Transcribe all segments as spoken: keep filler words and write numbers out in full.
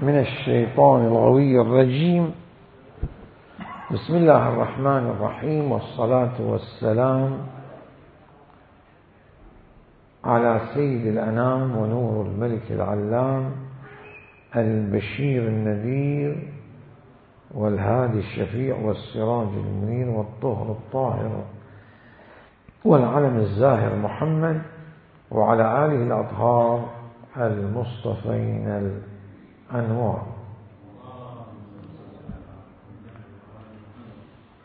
من الشيطان الغوي الرجيم. بسم الله الرحمن الرحيم، والصلاة والسلام على سيد الأنام ونور الملك العلام البشير النذير والهادي الشفيع والسراج المنير والطهر الطاهر والعلم الزاهر محمد وعلى آله الأطهار المصطفين الأنوار.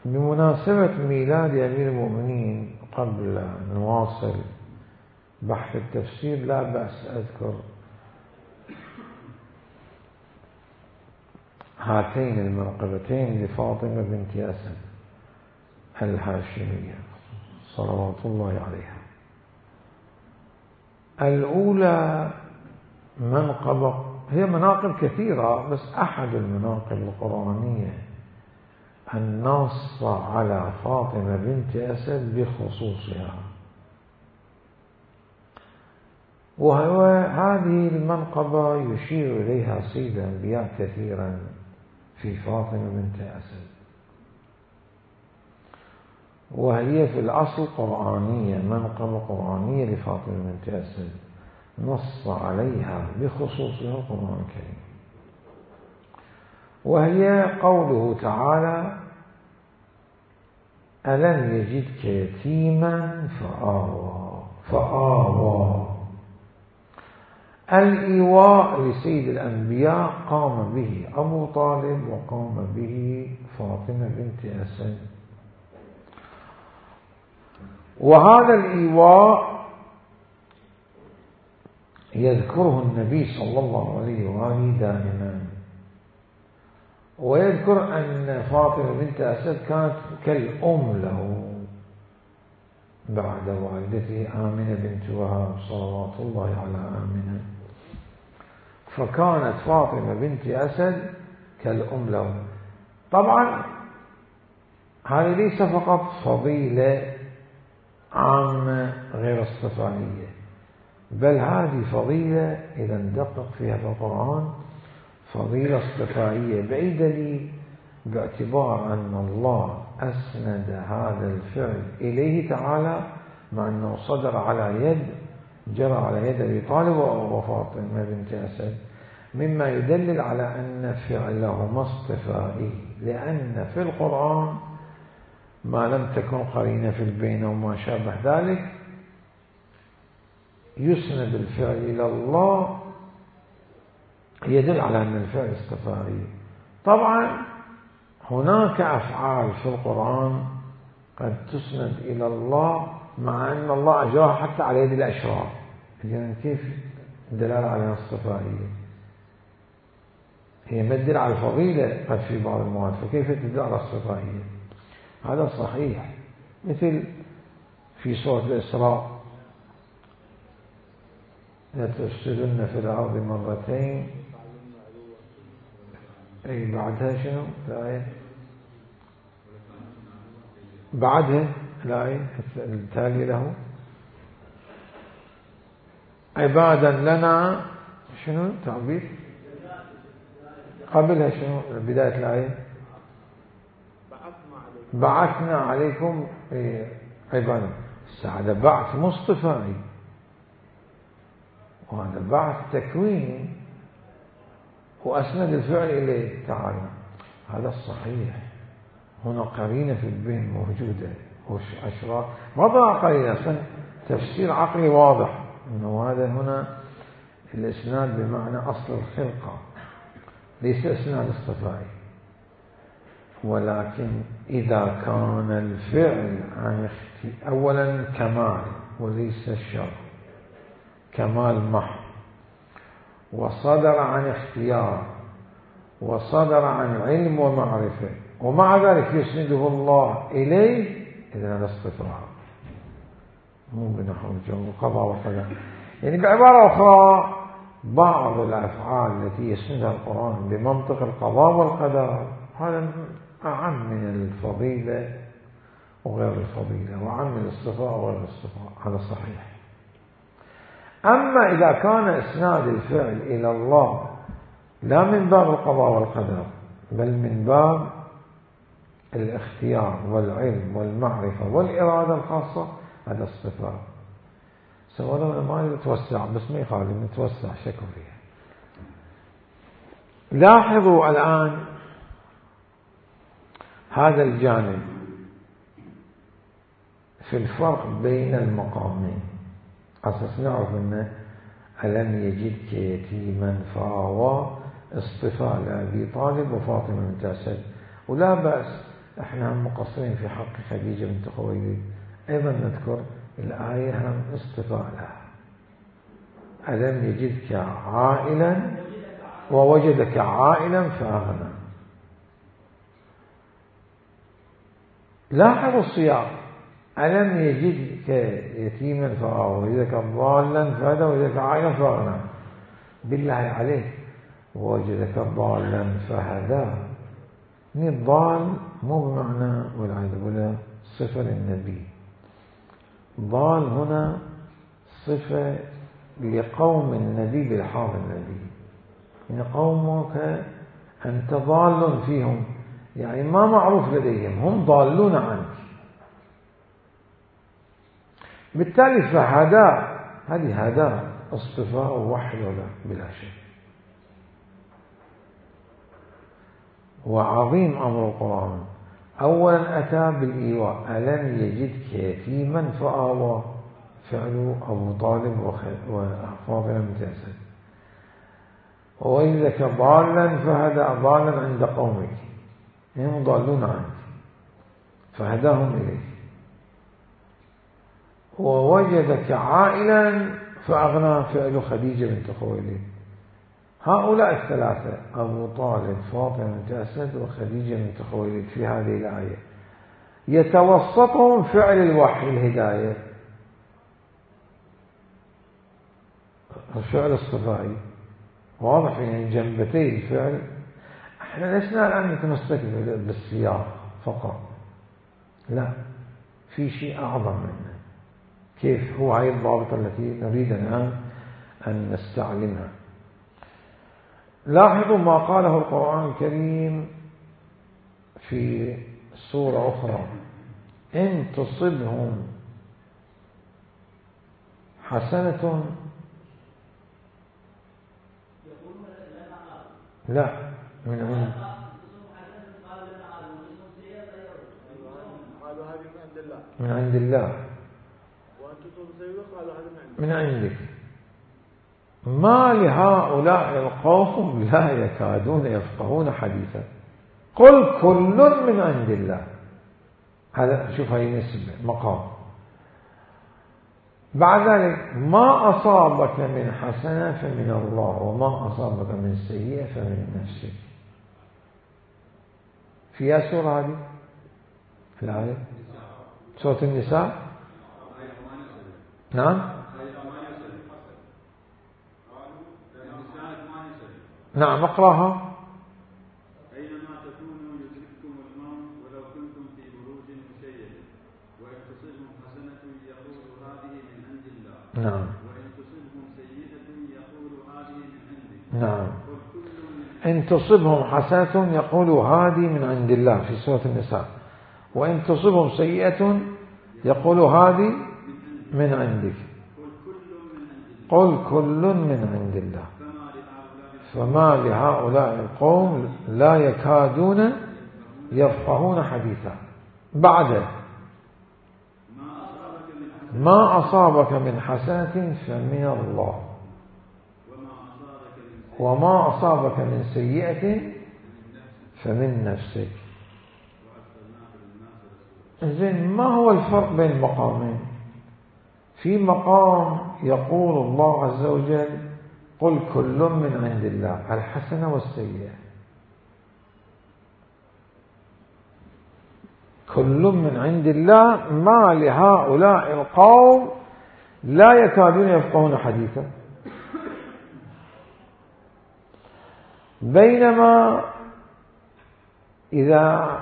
بمناسبة ميلاد أمير المؤمنين، قبل أن نواصل بحث التفسير لا بأس أذكر هاتين المنقبتين لفاطمة بنت أسد الهاشمية صلوات الله عليها. الأولى منقبة، هي مناقب كثيرة بس أحد المناقب القرآنية النص على فاطمة بنت أسد بخصوصها، وهو هذه المنقبة يشير إليها سيد الأنبياء كثيرا في فاطمة بنت أسد، وهي في الأصل قرآنية، منقبة قرآنية لفاطمة بنت أسد نص عليها بخصوصها القرآن الكريم، وهي قوله تعالى: ألم يجدك يتيما فآوى فآوى. الإيواء لسيد الأنبياء قام به أبو طالب وقام به فاطمة بنت أسد، وهذا الإيواء يذكره النبي صلى الله عليه وآله دائما، ويذكر أن فاطمة بنت أسد كانت كالأم له بعد والدته آمنة بنت وهب صلوات الله على آمنة، فكانت فاطمة بنت أسد كالأم له. طبعا هذه ليس فقط فضيلة عامة غير اصطفائية، بل هذه فضيلة إذا ندقق فيها في القرآن فضيلة اصطفائية. بأي دليل؟ باعتبار أن الله أسند هذا الفعل إليه تعالى، مع أنه صدر على يد جرى على يد أبي طالب وفاطمة بنت أسد، مما يدلل على أن فعلهما اصطفائي، لأن في القرآن ما لم تكن قرينة في البين وما شابه ذلك يسند الفعل إلى الله يدل على أن الفعل اصطفائي. طبعا هناك أفعال في القرآن قد تسند إلى الله مع أن الله أجراها حتى على يد الأشرار، إذن كيف الدلالة على الاصطفائية؟ هي تدل على الفضيلة قد في بعض المواد، فكيف تدل على الاصطفائية؟ هذا صحيح. مثل في سورة الإسراء: لتفسدن في الأرض مرتين. أي بعدها شنو الآية؟ بعدها الآية التالية له: عبادا لنا شنو تعبير قبلها شنو بداية الآية؟ بعثنا عليكم عبادا. هذا بعث مصطفى، وهذا بعث تكويني، وأسند الفعل إليه تعالى. هذا الصحيح. هنا قرينة في البين موجودة وأشرار ما ضاع قرينة، تفسير عقلي واضح أنه هذا هنا الإسناد بمعنى أصل الخلقة، ليس إسناد اصطفائي. ولكن إذا كان الفعل عن أولا كمال وليس الشر، كمال محض، وصدر عن اختيار، وصدر عن علم ومعرفة، ومع ذلك يسنده الله إليه، إذن هذا اصطفاء، مو بنحو القضاء والقدر. يعني بعبارة أخرى بعض الأفعال التي يسندها القرآن بمنطق القضاء والقدر هذا أعم من الفضيلة وغير الفضيلة، وأعم من الاصطفاء وغير الاصطفاء، هذا صحيح. أما إذا كان إسناد الفعل إلى الله لا من باب القضاء والقدر بل من باب الاختيار والعلم والمعرفة والإرادة الخاصة. هذا الصفات سواء ما نتوسع بس ما يخالف نتوسع شكل فيها. لاحظوا الآن هذا الجانب في الفرق بين المقامين، أساس نعرف أنه ألم يجدك يتيما فآوى اصطفاء لأبي طالب وفاطمة بنت أسد. ولا بأس احنا هم مقصرين في حق خديجة بنت خويلد أيضا نذكر الآية هم اصطفاء لها. ألم يجدك عائلا ووجدك عائلا فأغنى. لاحظوا السياق، ألم يجدك يتيما فآوى ووجدك ضالا فهدى ووجدك عائلا فأغنى. بالله عليك ووجدك ضالا فهدى، يعني الضال مو بمعنى والعياذ بالله صفة للنبي، ضال هنا صفة لقوم النبي بالحاضر النبي، يعني قومك أنت ضال فيهم، يعني ما معروف لديهم، هم ضالون عنك. بالتالي فهدى هذه هدى اصطفاء ووحي ولا بلا شك. وعظيم أمر القرآن أولا أتى بالإيواء، ألم يجدك يتيما فآوى، فعل أبو طالب وفاطمة بنت أسد. ووجدك ضالا فهدى، ضالا عند قومك هم ضالون عنك فهداهم إليك. ووجدك عائلا فأغنى، فعل خديجة بنت خويلد. هؤلاء الثلاثة أبو طالب فاطمة بنت أسد وخديجة بنت خويلد في هذه الآية يتوسطهم فعل الوحي الهداية، الفعل الصفائي واضح، يعني جنبتي الفعل. احنا لسنا الآن نتمسك بالسياق فقط، لا، في شيء أعظم منه. كيف؟ هو هاي الضابطة التي نريد الآن أن نستعلمها. لاحظوا ما قاله القرآن الكريم في سورة أخرى، إن تصبهم حسنة، لا من عند من عند الله من عندك. ما لهؤلاء القوم لا يكادون يفقهون حديثا قل كل من عند الله. هذا شوف هاي نسبة مقام. بعد ذلك ما أصابك من حسنة فمن الله وما أصابك من سيئة فمن نفسك. فيها سورة هذه في الآية سورة النساء. نعم نعم اقرأها. أينما تكونوا يدرككم الموت ولو كنتم في بروج مشيدة وإن تصبهم حسنة يقول هذه من عند الله نعم وإن تصبهم سيئة يقول هذه من عندك. نعم إن تصبهم حسنة يقول هذه من عند الله في سورة النساء، وإن تصبهم سيئة يقول هذه من عندك. قل كل من عند الله فما لهؤلاء القوم لا يكادون يفقهون حديثا. بعد ما أصابك من حسنة فمن الله وما أصابك من سيئة فمن نفسك. إذن ما هو الفرق بين المقامين؟ في مقام يقول الله عز وجل قل كل من عند الله، الحسنة والسيئة، كل من عند الله. ما لهؤلاء القوم لا يكادون يفقهون حديثا. بينما إذا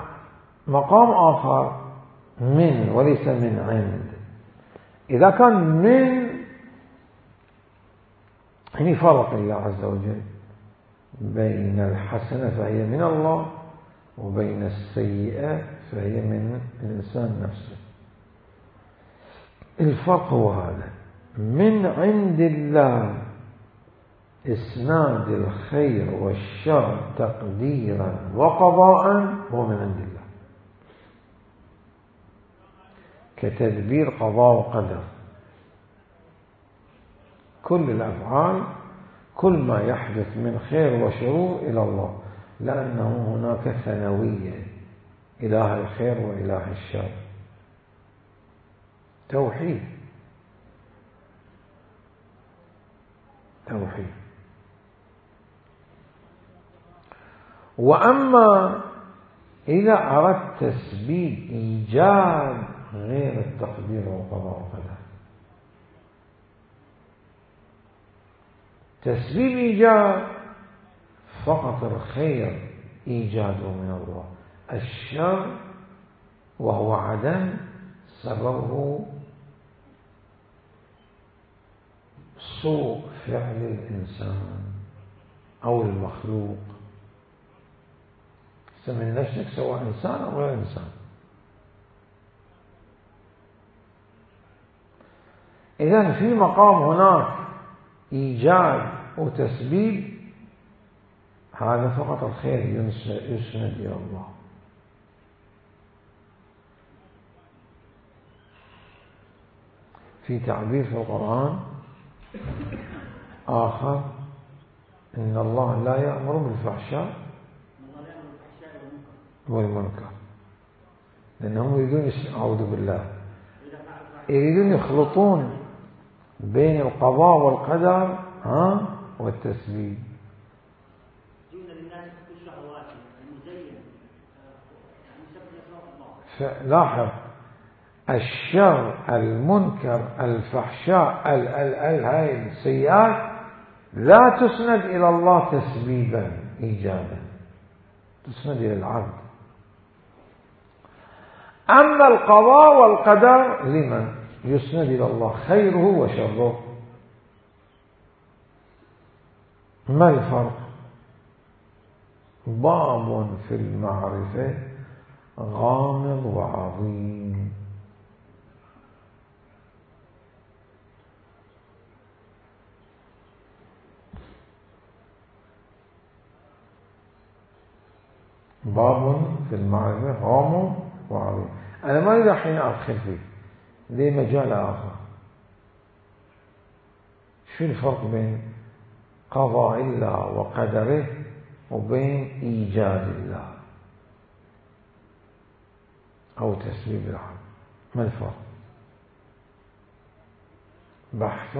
مقام آخر من وليس من عند، إذا كان من يعني فرق الله عز وجل بين الحسنة فهي من الله، وبين السيئة فهي من الإنسان نفسه. الفرق هو هذا، من عند الله إسناد الخير والشر تقديرا وقضاء هو من عند الله، كتدبير قضاء وقدر. كل الأفعال، كل ما يحدث من خير وشرور إلى الله، لأنه هناك ثانوية، إله الخير وإله الشر، توحيد توحيد. وأما إذا أردت تسبيب إيجاد غير التقدير والقضاء والقدر، تسبيب إيجاد فقط الخير إيجاده من الله، الشر وهو عدم سببه سوء فعل الإنسان أو المخلوق. سمي نفسك سواء إنسان أو غير إنسان. إذن في مقام هناك إيجاد وتسبيب، هذا فقط الخير يسند إلى الله. في تعبير في القرآن آخر، إن الله لا يأمر بالفحشاء والمنكر، لأنهم يريدون، أعوذ بالله، يريدون يخلطون بين القضاء والقدر ها والتسبيب. لاحظ، الشر، المنكر، الفحشاء، ال ال ال هاي السيئات لا تسند إلى الله تسبيبا إيجابا، تسند إلى العبد. أما القضاء والقدر لمن يسند إلى الله خيره وشره. ما الفرق؟ باب في المعرفة غامض وعظيم. باب في المعرفة غامض وعظيم. أنا ما أريد الحين أدخل فيه، ليه مجال آخر. شو الفرق بين قضاء الله وقدره وبين إيجاد الله أو تسبيب العبد؟ ما الفرق؟ بحث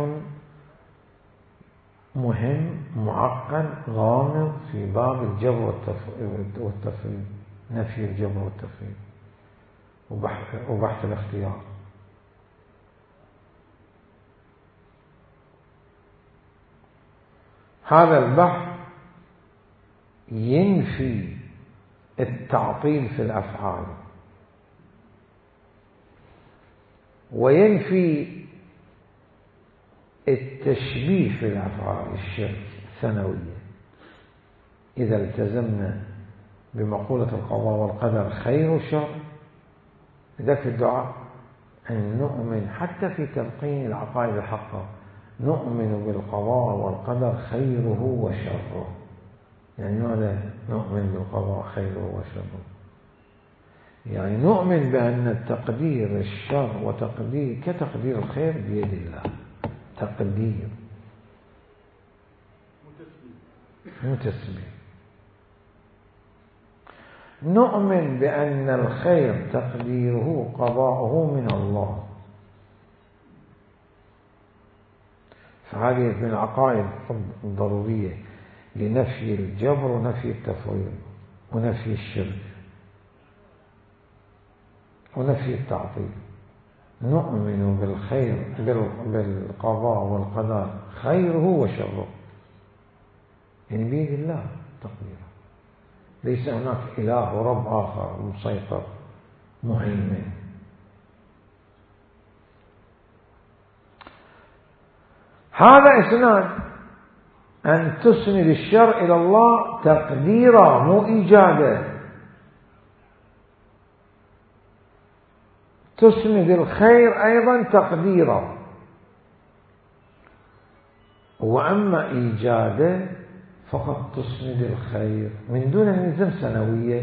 مهم معقد غامض في باب الجبر والتفريد، نفي الجبر والتفريد وبحث, وبحث الاختيار. هذا البحث ينفي التعطيل في الأفعال، وينفي التشبيه في الأفعال الشرك الثانوية. إذا التزمنا بمقولة القضاء والقدر خير وشر، ذاك الدعاء أن نؤمن حتى في تلقين العقائد الحقة، نؤمن بالقضاء والقدر خيره وشره. يعني ماذا نؤمن بالقضاء خيره وشره؟ يعني نؤمن بأن التقدير الشر وتقدير كتقدير الخير بيد الله، تقدير متسبب. نؤمن بأن الخير تقديره قضاؤه من الله. فهذه من العقائد الضرورية لنفي الجبر ونفي التفويض ونفي الشرك ونفي التعطيل. نؤمن بالخير بالقضاء والقدر خيره وشره، يعني بيد الله تقديره، ليس هناك إله ورب آخر مسيطر مهيمن. هذا إسناد أن تسند الشر إلى الله تقديرا مو إيجادا. تسند الخير أيضا تقديرا، وأما إيجادا فقط تسند الخير من دون أن يلزم سنوية.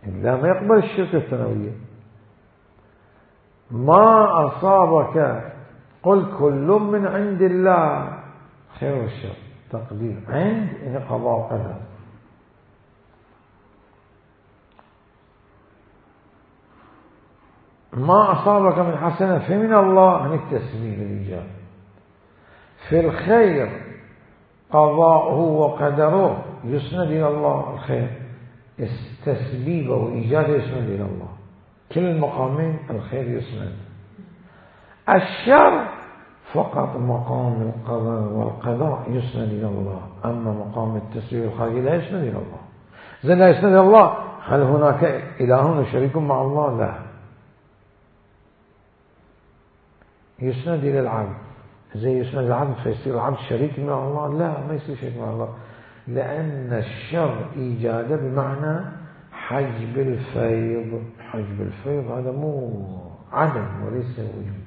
لا، ما يقبل الشرك الثانوية. ما أصابك قل كل من عند الله خير والشر تقدير عند إن قضاء وقدر. ما أصابك من حسنة فمن الله عن التسبيب الإيجاب. في الخير قضاؤه وقدره يسند إلى الله، الخير تسبيبه وإيجاده يسند إلى الله، كل المقامين الخير يسند. الشر فقط مقام القضاء والقضاء يسند إلى الله، أما مقام التسبيب الخارجي لا يسند إلى الله. إذا لا يسند إلى الله، هل هناك إله شريك مع الله؟ لا، يسند إلى العبد. زي يسند العبد فيصير العبد شريك مع الله؟ لا، ما يصير شريك مع الله، لأن الشر إيجاده بمعنى حجب الفيض. حجب الفيض هذا مو عدم وليس وجود،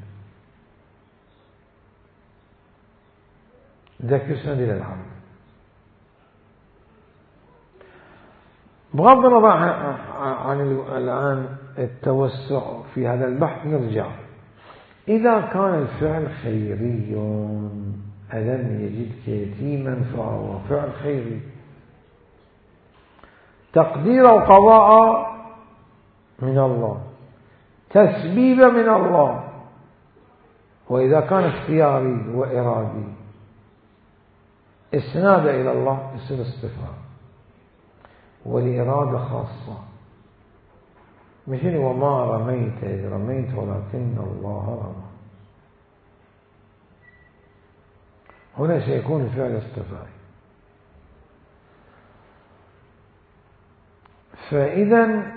ذاك يسند إلى العبد. بغض النظر عن الآن التوسع في هذا البحث، نرجع. إذا كان الفعل خيري، ألم يجدك يتيما فهو فعل خيري، تقدير القضاء من الله، تسبيب من الله. وإذا كان اختياري وإرادي اسناد إلى الله يصير اصطفاء، والإرادة خاصة، مثل وما رميت إذ رميت ولكن الله رمى. هنا سيكون الفعل اصطفائي. فإذا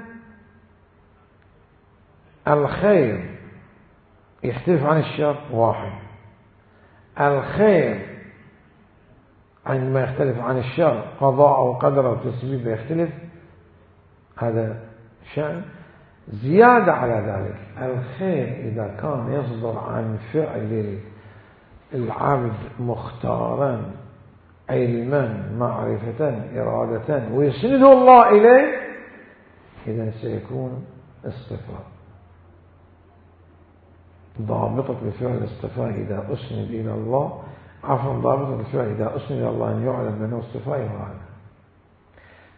الخير يختلف عن الشر واحد. الخير عندما يختلف عن الشر قضاء أو قدر أو تسبيب يختلف، هذا شأن. زيادة على ذلك، الخير إذا كان يصدر عن فعل العبد مختارا علما معرفة إرادة ويسنده الله إليه، إذا سيكون اصطفاء. ضابطة الفعل الاصطفاء إذا أسند إلى الله، عفوا ضابطة الفعل إذا أسند إلى الله أن يعلم أنه اصطفاء وهذا.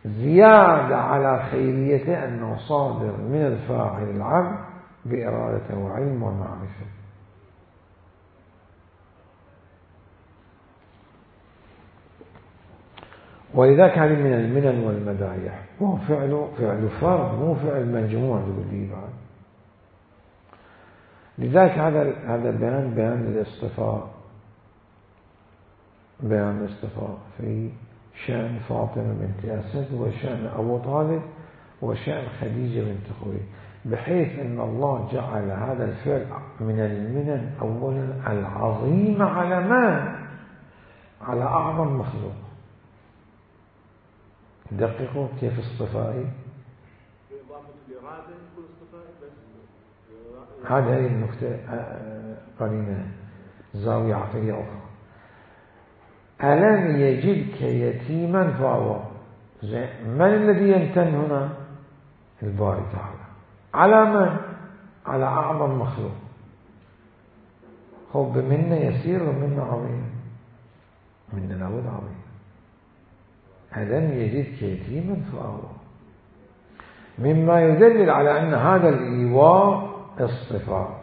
زيادة على خيريته أنه صادر من الفاعل العبد بإرادة وعلم ومعرفة. ولذلك هذه من المنن والمدايح، وهو فعل فعل فرد مو فعل مجموع ذو بعد. لذلك هذا هذا البيان بيان الاصطفاء، بيان الاصطفاء في شأن فاطمة بنت أسد وشأن أبو طالب وشأن خديجة بنت خويلد، بحيث أن الله جعل هذا الفعل من المنن أولا العظيمة على ما على أعظم مخلوق. دققوا كيف اصطفائي. هذه النكتة قرينة زاوية عقلية أخرى. ألم يجدك يتيما فهو، من الذي يمتن هنا؟ الباري تعالى. على من؟ على أعظم مخلوق. خب بمنه يسير ومنه عظيم، منه لابد عظيم. ألم يجدك يتيما فهو، مما يدلل على أن هذا الإيواء اصطفاء،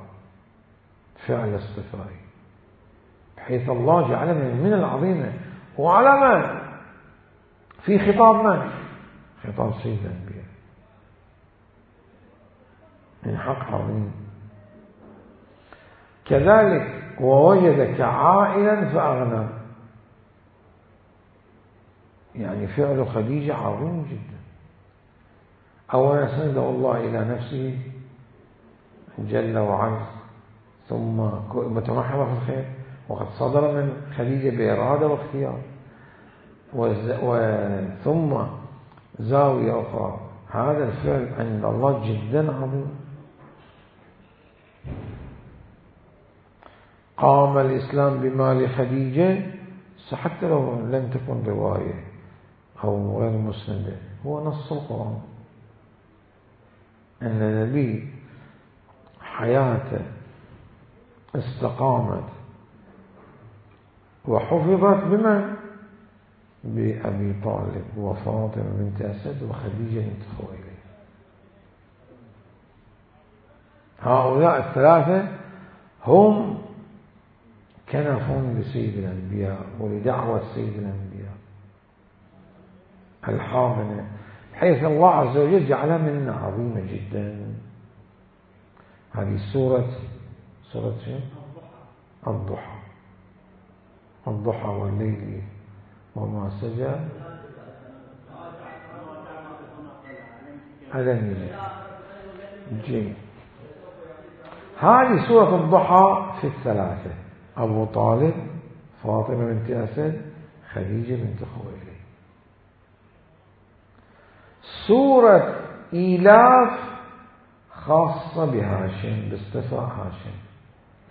فعل اصطفائي، بحيث الله جعل من المنن العظيمة. وعلى من؟ في خطاب من؟ خطاب سيد الأنبياء، من حق عظيم. كذلك ووجدك عائلا فأغنى، يعني فعل خديجة عظيم جدا. أولا سنده الله إلى نفسه جل وعلا، ثم متمحضة في الخير، وقد صدر من خديجة بإرادة واختيار. ثم زاوية أخرى، هذا الفعل عند الله جدا عظيم. قام الإسلام بمال خديجة، حتى لو لم تكن رواية أو غير مسندة، هو نص القرآن أن النبي حياته استقامت وحفظت بمن؟ بأبي طالب وفاطمة بنت أسد وخديجة بنت خويلد. هؤلاء الثلاثة هم كنفون لسيد الأنبياء ولدعوة سيد الأنبياء الحاضنة، حيث الله عز وجل جعلها منة عظيمة جدا. هذه سورة سورة شيء الضحى، الضحى والليل وما سجى ألم يجد جيد. هذه سورة الضحى في الثلاثة: أبو طالب، فاطمة بنت أسد، خديجة بنت خويلد. سورة إيلاف خاصة بهاشم، باستثناء هاشم،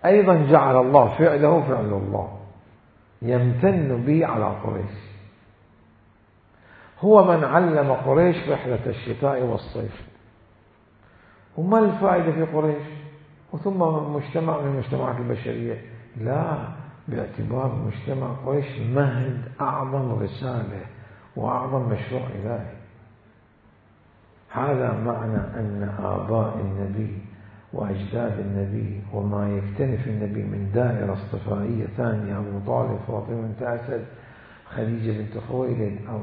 أيضا جعل الله فعله فعل الله يمتن به على قريش. هو من علم قريش رحلة الشتاء والصيف. وما الفائدة في قريش وثم مجتمع من المجتمعات البشرية؟ لا، باعتبار مجتمع قريش مهد أعظم رسالة وأعظم مشروع إلهي. هذا معنى أن آباء النبي وأجداد النبي وما يكتنف النبي من دائرة اصطفائية ثانية: أبو طالب، فاطمة بنت أسد، خديجة بنت خويلد، أو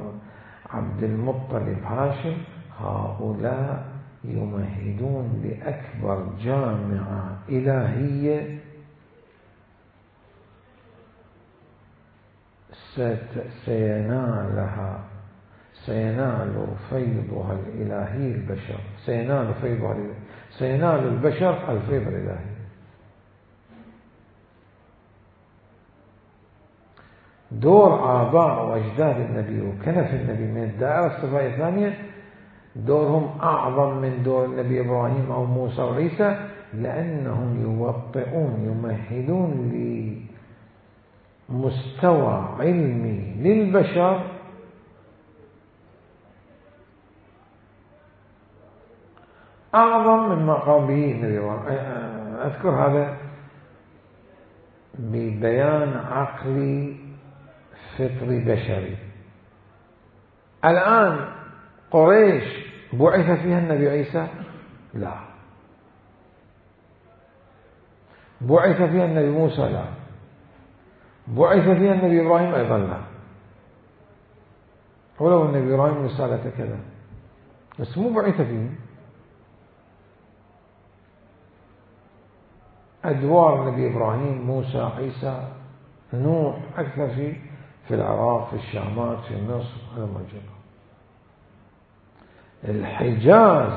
عبد المطلب، هاشم، هؤلاء يمهدون لأكبر جامعة إلهية سينالها سينال فيضها الإلهي البشر، سينال فيضها سينال البشر الفيض الإلهي. دور آباء وأجداد النبي وكنف النبي من الدائرة الصفائية الثانية دورهم أعظم من دور النبي إبراهيم أو موسى وعيسى، لأنهم يوطئون يمهدون لمستوى علمي للبشر أعظم مما قام به النبي إبراهيم. أذكر هذا ببيان عقلي فطري بشري. الآن قريش بعث فيها النبي عيسى؟ لا. بعث فيها النبي موسى؟ لا. بعث فيها النبي إبراهيم؟ أيضا لا، ولو النبي إبراهيم رسالته كذا، بس مو بعث فيه. أدوار النبي إبراهيم، موسى، عيسى، نوح أكثر في في العراق، في الشامات، في مصر، هذا ما جرى. الحجاز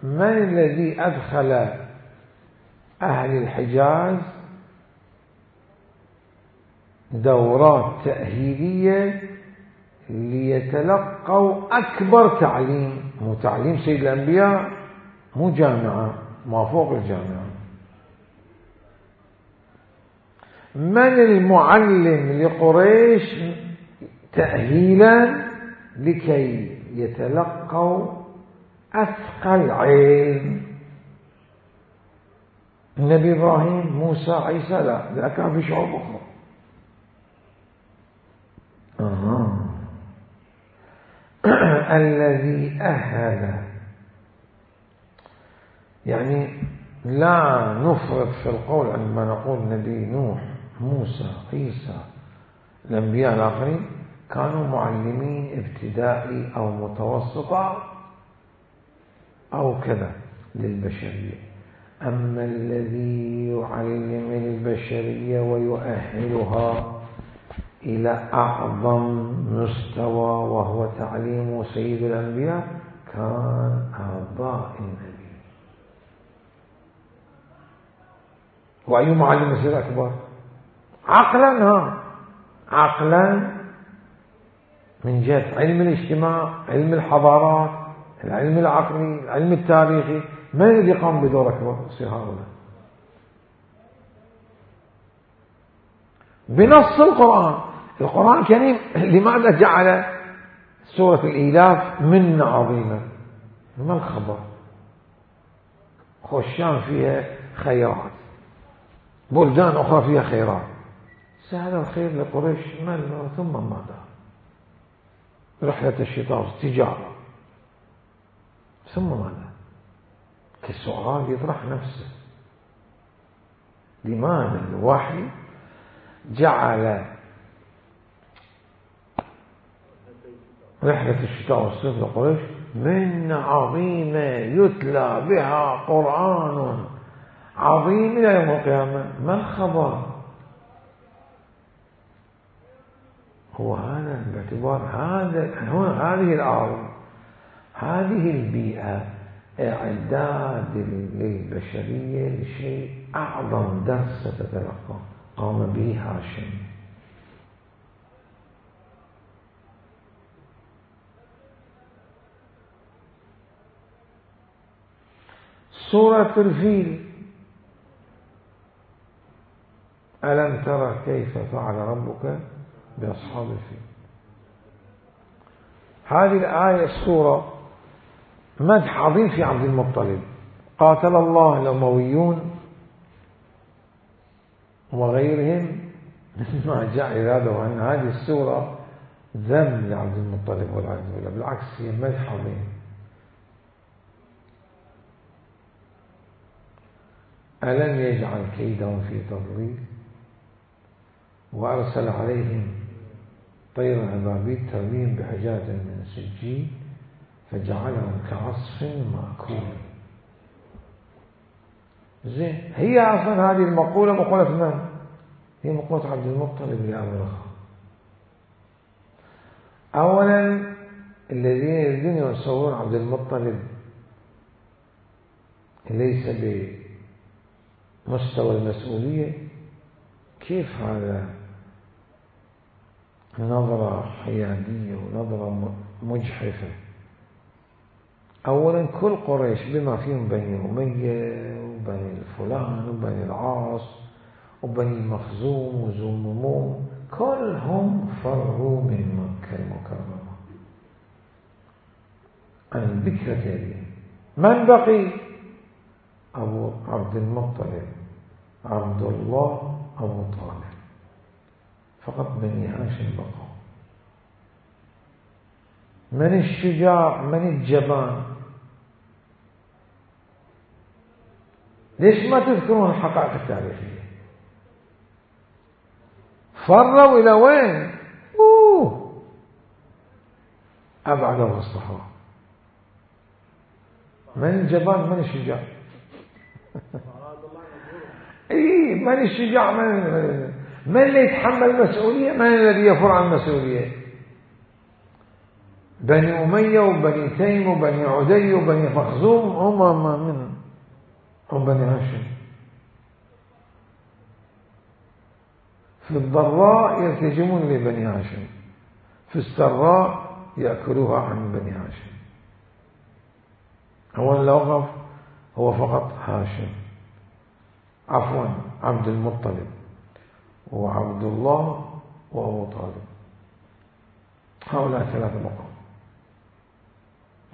من الذي أدخل أهل الحجاز دورات تأهيلية ليتلقوا أكبر تعليم؟ مو تعليم سيد الأنبياء، مو جامعة، ما فوق الجامعة. من المعلم لقريش تأهيلا لكي يتلقوا أثقل علم؟ النبي إبراهيم، موسى، عيسى؟ لا، لا، كان في شعوب أخرى. آه. الذي أهل، يعني لا نفرط في القول عندما نقول نبي نوح، موسى، عيسى، الأنبياء الآخرين كانوا معلمين ابتدائي أو متوسطة أو كذا للبشرية. أما الذي يعلم البشرية ويؤهلها إلى أعظم مستوى وهو تعليم سيد الأنبياء كان آباء النبي. وأي معلم يصير أكبر؟ عقلا ها عقلا من جهة علم الاجتماع، علم الحضارات، العلم العقلي، العلم التاريخي، من الذي قام بدور أكبر؟ هؤلاء بنص القرآن. القرآن الكريم لماذا جعل سورة الإيلاف منة عظيمة؟ ما الخبر؟ خشان فيها خيرات، بلدان أخرى فيها خيرات، سهل الخير لقريش مال ثم ماذا؟ رحلة الشتاء والتجارة، ثم ماذا؟ كالسؤال يطرح نفسه، لماذا الوحي جعل رحلة الشتاء والصيف لقريش منة عظيمة يتلى بها قرآن عظيم إلى يوم القيامة؟ ما الخبر؟ هو هذا باعتبار هذا هذه الأرض، هذه البيئة إعداد للبشرية لشيء أعظم درس ستتلقى قام به هاشم. سورة الفيل، ألم ترى كيف فعل ربك بأصحاب الفيل؟ هذه الآية السورة مدح عظيم في عبد المطلب، قاتل الله الأمويون وغيرهم مما جاء إرادة أن هذه السورة ذم لعبد المطلب والعياذ بالله، بالعكس هي مدح عظيم. ألم يجعل كيدهم في تضليل وأرسل عليهم طيرا أبابيل ترميهم بحجارة من سجيل فجعلهم كعصف مأكول. زين، هي أصلا هذه المقولة مقولة من؟ هي مقولة عبد المطلب لأبرهة. أولا الذين يريدون يصورون عبد المطلب ليس بمستوى المسؤولية، كيف هذا؟ نظرة حيادية ونظرة مجحفة. أولا كل قريش بما فيهم بني أمية وبني الفلان وبني العاص وبني مخزوم وزمموم كلهم فروا من مكة المكرمة عن ذكرى هذه. من بقي؟ أبو عبد المطلب، عبد الله، أبو طالب، فقط بني هاشم بقوا. من الشجاع؟ من الجبان؟ ليش ما تذكرون الحقائق التاريخية؟ فروا إلى وين؟ أوه أبعده الصحراء. من الجبان؟ من الشجاع؟ إيه، من الشجاع؟ من من اللي يتحمل المسؤولية؟ من الذي يفر عن المسؤولية؟ بني أمية وبني تيم وبني عدي وبني مخزوم هم من هم بني هاشم. في الضراء يلتجمون لبني هاشم، في السراء يأكلوها عن بني هاشم. هو الوقف هو فقط هاشم، عفوا عبد المطلب وعبد الله وأبو طالب، هؤلاء ثلاثة مقام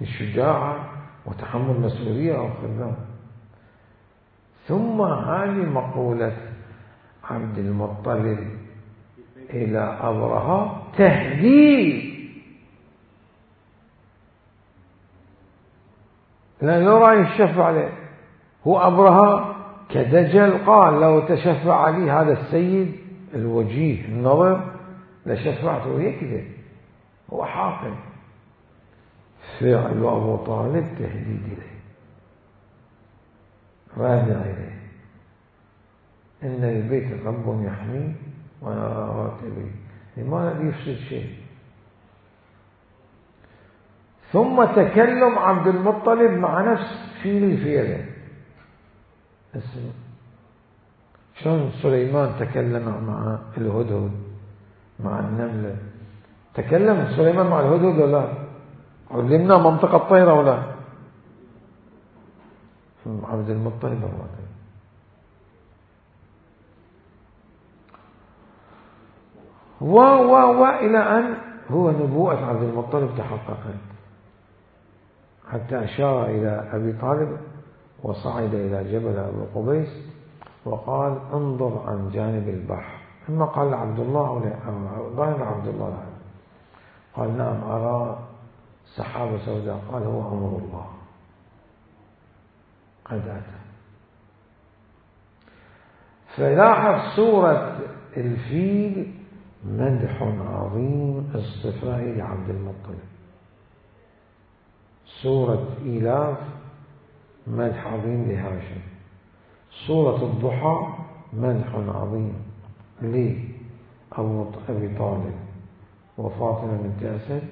الشجاعة وتحمل المسؤولية أو خدام. ثم هذه مقولة عبد المطلب إلى أبرهة تهديد، لا يرى يشفع عليه. هو أبرهة كدجل قال لو تشفع لي هذا السيد الوجيه النظر لشفعته، يكذب، هو حاقد. فعل أبو طالب تهديد إليه، رادع إليه، إن البيت رب يحميه وأنا راتبي، لماذا يفسد شيء؟ ثم تكلم عبد المطلب مع نفس فيل الفيلة، شلون سليمان تكلم مع الهدهد مع النملة؟ تكلم سليمان مع الهدهد ولا لا؟ علمنا منطق الطيرة ولا؟ عبد المطلب الرجل. و و و إلى أن هو نبوءة عبد المطلب تحققت، حتى أشار إلى أبي طالب وصعد إلى جبل أبو قبيس وقال انظر عن جانب البحر. ثم قال عبد الله أو ظاهر عبد الله لا. قال نعم أرى سحابة سوداء. قال هو أمر الله قد أتى. فلاحظ سورة الفيل مدح عظيم اصطفائي لعبد المطلب، سورة إيلاف مدح عظيم لهاشم، سورة الضحى مدح عظيم لأبي طالب وفاطمة بنت أسد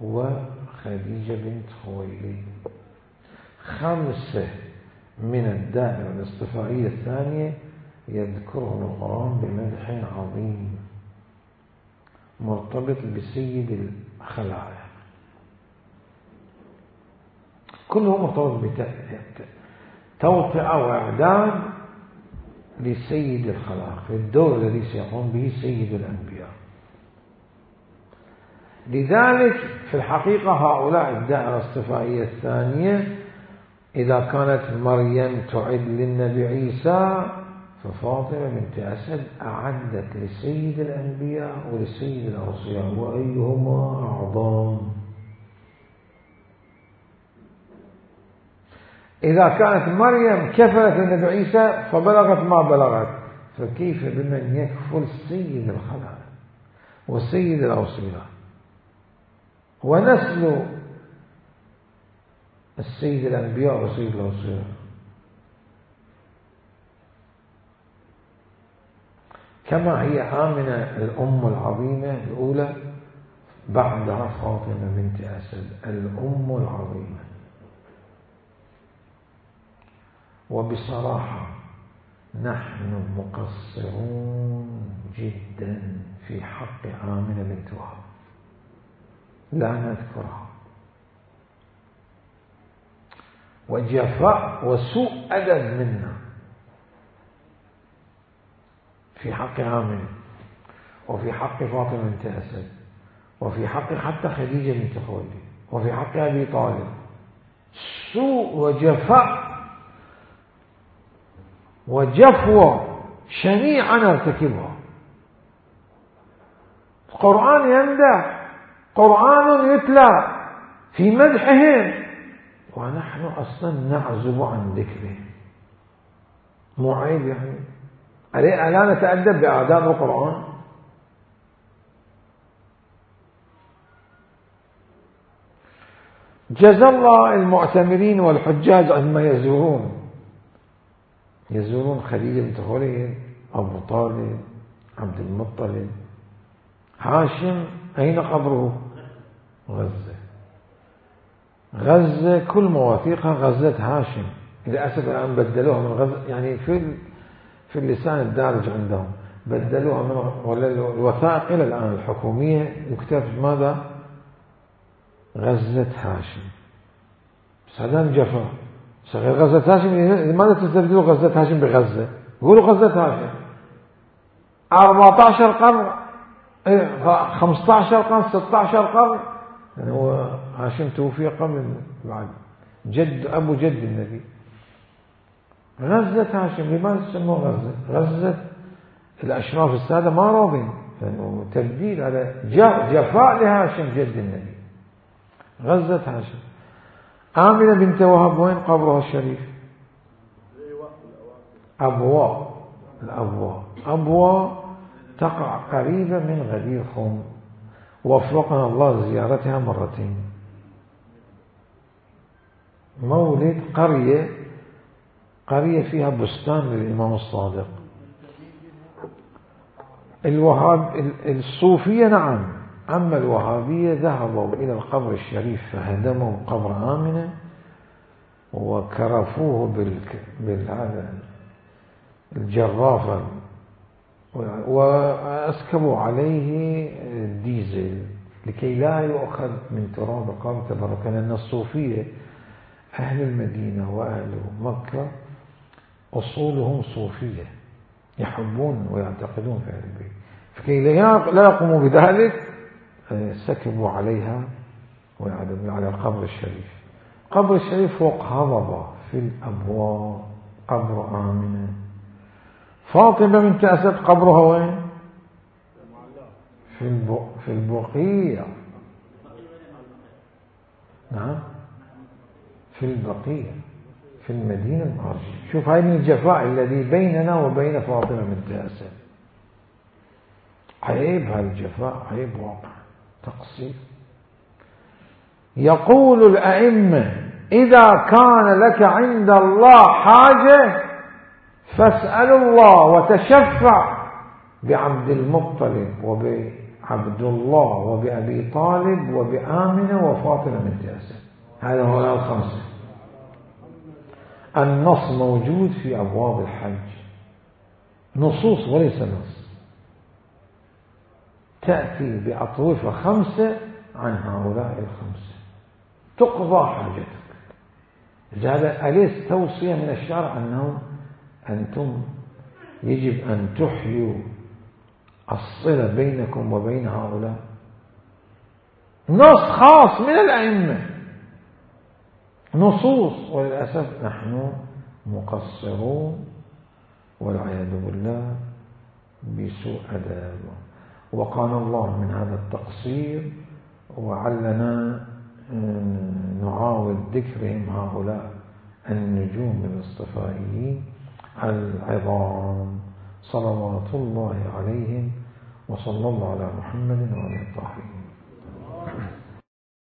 وخديجة بنت خويلد. خمسة من الدائرة الاصطفائية الثانية يذكرهم القرآن بمدح عظيم مرتبط بسيد الخلائق، كله مرتبط بتوطئة وإعداد لسيد الخلائق في الدور الذي سيقوم به سيد الأنبياء. لذلك في الحقيقة هؤلاء الدائرة الاصطفائية الثانية إذا كانت مريم تعد للنبي عيسى، ففاطمة بنت أسد أعدت لسيد الأنبياء ولسيد الأوصياء، وأيهما أعظم؟ إذا كانت مريم كفلت للنبي عيسى فبلغت ما بلغت، فكيف بمن يكفل سيد الخلائق وسيد الأوصياء ونسل السيد الأنبياء وسيد الأوصياء؟ كما هي آمنة الأم العظيمة الأولى، بعدها فاطمة بنت أسد الأم العظيمة. وبصراحة نحن مقصرون جدا في حق آمنة بنت وهب، لا نذكرها، وجفاء وسوء أدب منا في حق آمنة وفي حق فاطمة بنت أسد وفي حق حتى خديجة بنت خويلد وفي حق أبي طالب، سوء وجفاء وجفوة شنيعة نرتكبها. القرآن يمدح، قرآن يتلى في مدحهم، ونحن أصلا نعزب عن ذكرهم. مو عيب يعني؟ ألا نتأدب بآداب القرآن؟ جزى الله المعتمرين والحجاج عندما يزورون يزورون خديجة بنت خويلد، أبو طالب، عبد المطلب، هاشم أين قبره؟ غزة. غزة كل مواثيقها غزة هاشم، للأسف الآن بدلوها من غزة، يعني في في اللسان الدارج عندهم بدلوها من الوثائق إلى الآن الحكومية يكتب ماذا؟ غزة هاشم. بس هذا جفا. صغير غزة هاشم، لماذا تستبدلوا غزة هاشم بغزة؟ قولوا غزة هاشم. أربعة عشر قرن، خمسة عشر قرن، ستة عشر قرن، يعني هو هاشم توفي قبل بعد جد أبو جد النبي. غزة هاشم، لماذا تسموه غزة؟ غزة الأشراف السادة ما راضين، يعني تبديل على جفاء لهاشم جد النبي. غزة هاشم. آمنة بنت وهب وين قبرها الشريف؟ أبواء. الأبواء أبواء تقع قريبة من غدير خم، وفقنا الله زيارتها مرتين. مولد قرية قرية فيها بستان للإمام الصادق. الوهاب الصوفية نعم، أما الوهابية ذهبوا إلى القبر الشريف فهدموا قبر آمنة وكرفوه بالهذا الجرافة وأسكبوا عليه الديزل لكي لا يؤخذ من تراب القبر تبركا، لأن الصوفية أهل المدينة وأهل مكة أصولهم صوفية، يحبون ويعتقدون في أهل البيت، فكي لا يقوموا بذلك سكبوا عليها ويعدموا على القبر الشريف. قبر الشريف فوق هضبة في الأبواب، قبر آمنة. فاطمة بنت أسد قبرها وين؟ في في البقيع. نعم في البقيع في المدينة المنورة. شوف هاي من الجفاء الذي بيننا وبين فاطمة بنت أسد. عيب هاي الجفاء، عيب واقع، تقصير. يقول الأئمة إذا كان لك عند الله حاجة فاسأل الله وتشفع بعبد المطلب وبعبد الله وبأبي طالب وبآمنة وفاطمة بنت أسد. هذا هو الخمسة. النص موجود في أبواب الحج، نصوص وليس نص، تأتي بأطوفة خمسة عن هؤلاء الخمسة تقضى حاجتك. هذا أليس توصية من الشرع أنه أنتم يجب أن تحيوا الصلة بينكم وبين هؤلاء؟ نص خاص من الأئمة، نصوص، وللأسف نحن مقصرون والعياذ بالله بسوء أداب. وقال الله من هذا التقصير وعلنا نعاود ذكرهم هؤلاء النجوم الاصطفائيين العظام صلوات الله عليهم، وصلى الله على محمد وعلى الطاهرين.